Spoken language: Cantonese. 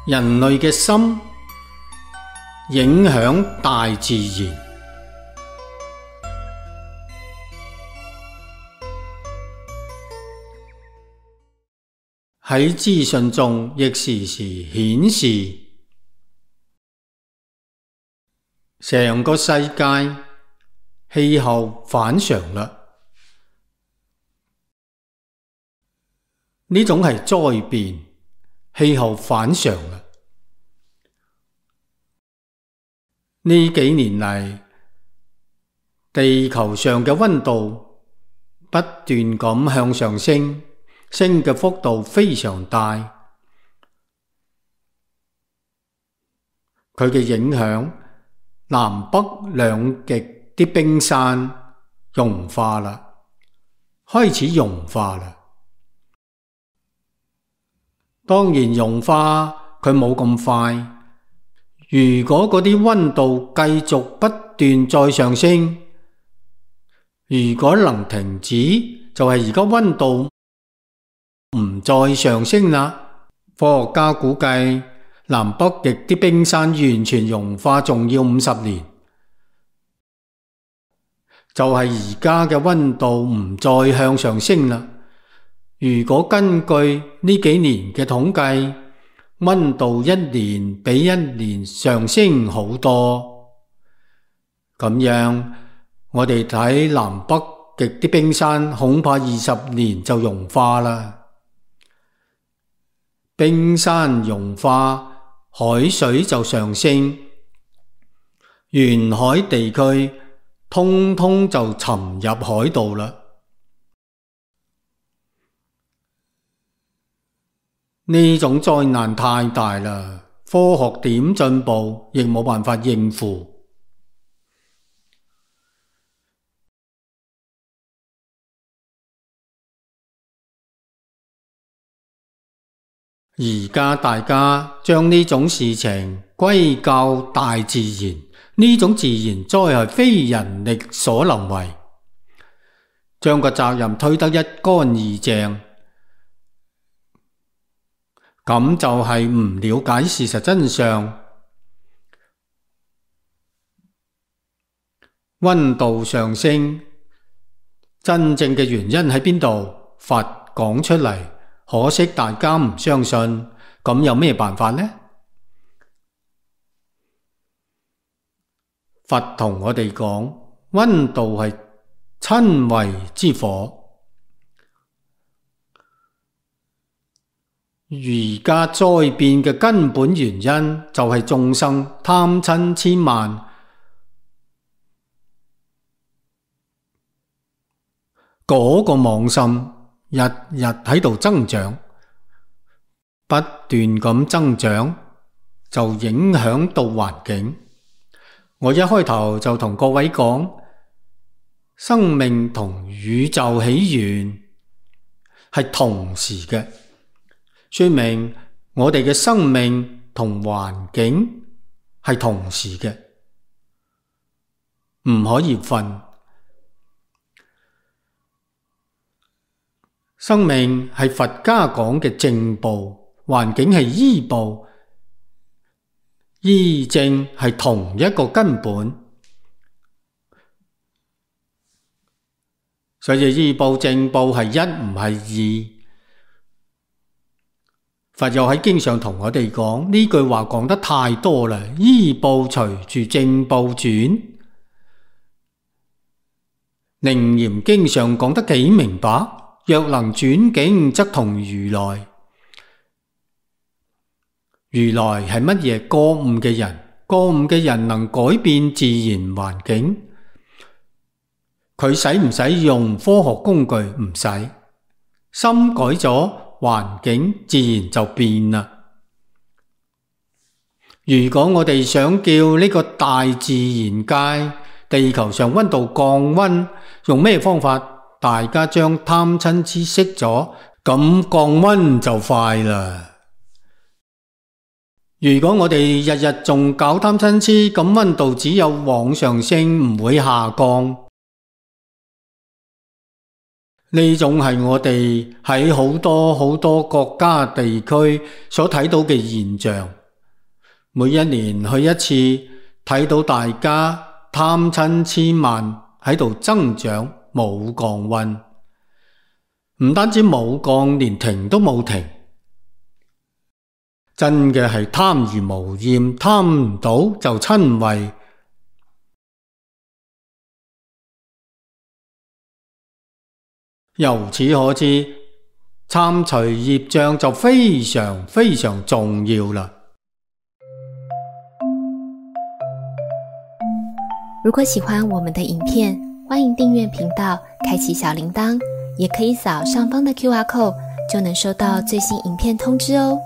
人類嘅心影響大自然。喺資訊中亦時時顯示，成個世界氣候反常啦。呢種係災變，氣候反常啦。呢幾年嚟，地球上嘅溫度不斷咁向上升，升嘅幅度非常大。佢嘅影響，南北兩極啲冰山融化啦，開始融化啦。當然融化佢冇咁快，如果嗰啲溫度繼續不斷再上升，如果能停止，就係而家溫度唔再上升啦。科學家估計南北極啲冰山完全融化仲要50年，就係而家嘅溫度唔再向上升啦。如果根據呢幾年嘅統計，溫度一年比一年上升好多，咁樣我哋睇南北極啲冰山恐怕20年就融化啦。冰山融化，海水就上升，沿海地區通通就沉入海度啦。呢種災難太大啦，科學點進步亦冇辦法應付。而家大家將呢種事情歸咎大自然，呢種自然災害非人力所能為，將個責任推得一乾二淨。咁就係唔了解事實真相。溫度上升，真正嘅原因喺邊度？佛講出嚟，可惜大家唔相信。咁有咩辦法呢？佛同我哋講，溫度係親為之火。而家災變嘅根本原因就係眾生貪嗔癡慢，嗰個妄心日日喺度增長，不斷咁增長，就影響到環境。我一開頭就同各位講，生命同宇宙起源係同時嘅。說明我哋嘅生命同環境係同時嘅，唔可以分。生命係佛家講嘅正報，環境係依報，依正係同一個根本。所以依報正報係一，唔係二。佛又喺經上同我哋講，呢句話講得太多啦，依報隨住正報轉。楞嚴經上講得幾明白，若能轉境則同如來。如來係乜嘢？覺悟嘅人，覺悟嘅人能改變自然環境。佢使唔使用科學工具？唔使，心改咗，環境自然就變啦。如果我哋想叫呢個大自然界地球上溫度降溫，用咩方法？大家將貪嗔癡熄咗，咁降溫就快啦。如果我哋日日仲搞貪嗔癡，咁溫度只有往上升，唔會下降。呢種係我哋喺好多國家地區所睇到嘅現象。每一年去一次，睇到大家貪嗔癡慢喺度增長，冇降溫。唔單止冇降，連停都冇停。真嘅係貪而無厭，貪唔到就瞋恚。由此可知，參除業障就非常重要啦。如果喜歡我們的影片，歡迎訂閱頻道，開啟小鈴鐺，也可以掃上方的QR code，就能收到最新影片通知哦。